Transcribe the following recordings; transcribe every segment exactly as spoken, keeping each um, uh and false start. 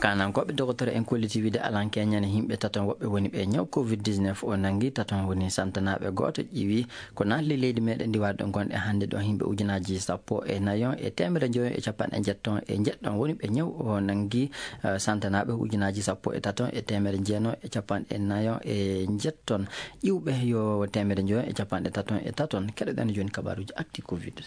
Kaanankooɓe dokotoro en kolliti wiide alankeñane yimɓe taton woɓɓe woni ɓe ñaw covid dix-neuf o nanngi taton woni santanaaɓe gooto ƴiwi ko naatli leydi meɗen ndiwaade ɗo gonɗe hannde ɗo yimɓe ujunaaji sappo e nayon e teemere njoyon e capanɗe njetton e njeɗɗon woni ɓe ñaw o nanngi. Eh, santanaaɓe ujunaaji sappo e taton e teemere njeeno e capanɗe nayon e njetton ƴiwɓe yo teemere njoyon e capanɗe taton e taton. Keɗoɗen jooni kabaruuji acti covid.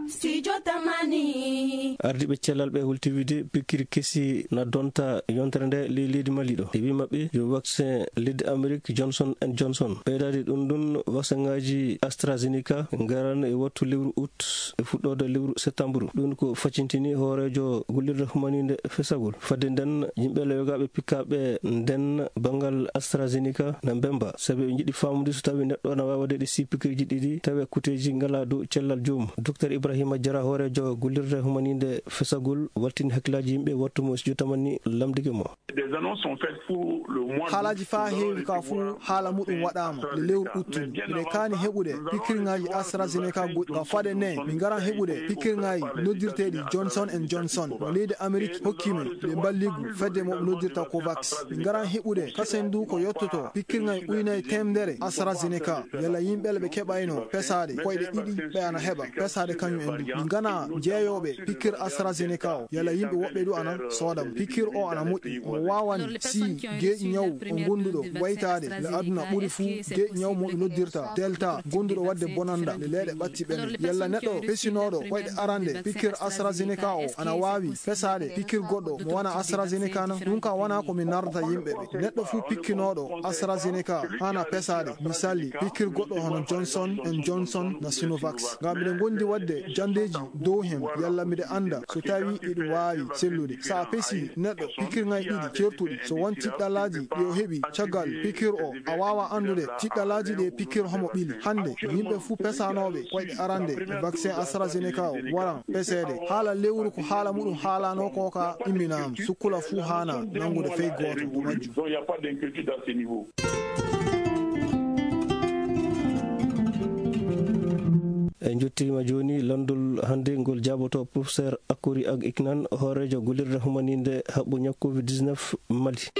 Studio Tamani. Ardiiɓe cellal ɓe hulti wiide pikkiri kesi na donta yontere nde ley leydi Mali ɗo. E wi maɓɓe yo vaccin leydi Amérique Johnson and Johnson. Ɓeydaade ɗum ɗum, vaccin ngaji AstraZeneca ngaran e wattu lewru août e fuɗɗoode lewru septembre. Ɗum ko facintini hooreejo gollirde humaninde fesagol. Fadde nden, yimɓe lewgaaɓe pikkaaɓe nden banngal AstraZeneca na mbemba. Sabi ɓe njiɗi faamude so tawi neɗɗo na waawi waɗeede si pikkirji ɗiɗi, tawi kuteeji ngalaa dow cellal joomum. Docteur Ibrahima Jara, hooreejo gollirde humaninde fesagol, waltini hakkillaaji yimɓe wattu mo studio Tamani lamndike mo. Des annonces sont faites pour le mois d'août. Haalaaji faa heewi ka fuu haala muɗum waɗaama le lewru uttudu. Miɗen kaani heɓude pikkirŋaaji AstraZeneca goɗɗi. Ngam fade ne, min ngaran heɓude pikkirŋaaji noddirteeɗi Johnson and Johnson. Mo leydi Amerik hokki min nde mballigu fedde mo ɓe noddirta COVAX. Min ngaran heɓude kasen du ko yottoto pikkirŋaaji ujunaaji teemedere AstraZeneca. Yalla yimɓe ɓe keɓayno pesaade koyɗe ɗiɗi ɓe ana heɓa pesaade kañum en du. Min ngana jeeyooɓe pikkir AstraZeneca o. Yalla yimɓe woɓɓe du ana sooda mo. Pikkir o ana moƴƴi. Mo waawani si geeƴi ñaw o gonduɗo waytaade le aduna ɓuri fuu geeƴi ñaw mo ɓe noddirta Delta gonduɗo waɗde bonanda le leeɗe ɓatti ɓene. Yalla neɗɗo pesinooɗo koyɗe arande pikkir AstraZeneca o ana waawi pesaade pikkir goɗɗo mo wana AstraZeneca na? Ɗum ka wana ko min nardata yimɓe ɓe. Neɗɗo fuu pikkinooɗo AstraZeneca hana pesaade. Misali, pikkir goɗɗo hono Johnson and Johnson na Sinovac. Ngam miɗen gondi waɗde jandeeji dow hen, yalla miɗe annda so tawi iɗum waawi sellude. So a pesi neɗɗo pikkirŋay ɗiɗi certuɗi, so won tiɗɗalaaji ɗi o heɓi caggal pikkir o, a waawa anndude tiɗɗalaaji ɗe pikkir homo ɓili. Hannde, yimɓe fuu pesanooɓe koyɗe arande e vaccin AstraZeneca o, waran peseede. Haala lewru ko haala muɗum haalano ko ka imminama. Sukkula fuu haana nanngude fey gooto e majjum. Donc, il n'y a pas d'inquiétude à ce niveau. En njottiima jooni lanndol hannde ngol jaaboto professeur Akori Ag Iknan, hooreejo gollirde humaninde haɓɓo ñaw covid dix-neuf Mali.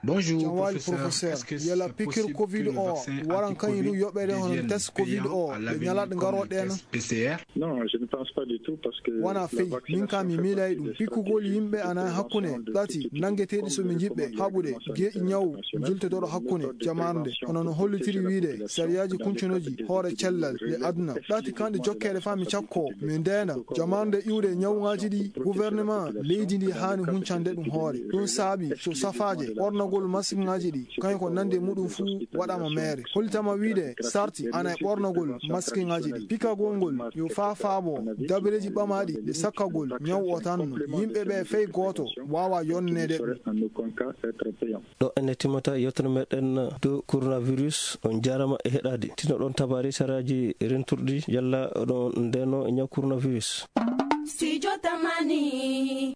Bonjour, jam waali professeur. Professeur, est-ce que yala c'est pikir possible covid que le o vaccin waran kañum du anti-covid yoɓeede hono devienne test covid payant o à ɓe l'avenir ñalaɗe comme le garoɗe na? Test P C R? Non, je ne pense pas du tout parce que wona la fey, min ka mi miilay ɗum. Pikkugol yimɓe ana hakkunde ɗati nanngeteeɗi so mi jiɓɓe haɓude geeƴi ñaw jultotooɗo hakkunde jamarnde, hono no hollitiri wiide sariyaaji kuncunooji hoore cellal e aduna. Ɗati kanɗe jokkeede faa mi cakko, mi ndeena jamarnde iwde ñawŋaaji ɗi gouvernement leydi ndi haani huncande ɗum hoore. Ɗum saabi so safaaje ɓornagol maskiŋaaji ɗi, kañum ko nande muɗum fuu waɗaama meere. Hollitama wiide sarti ana e ɓornagol maskiŋaaji ɗi. Pikagol ngol yo faa faabo dabareeji ɓamaaɗi ɗe sakkagol ñaw o tan no. Yimɓe ɓe fey gooto waawa yonneede ɗum. Ɗo ene timmata yewtere meɗen dow coronavirus. On jaarama e heɗaade. Tino ɗon tabaari saraaji renturɗi yalla oɗon ndeno e ñaw coronavirus. Studio Tamani.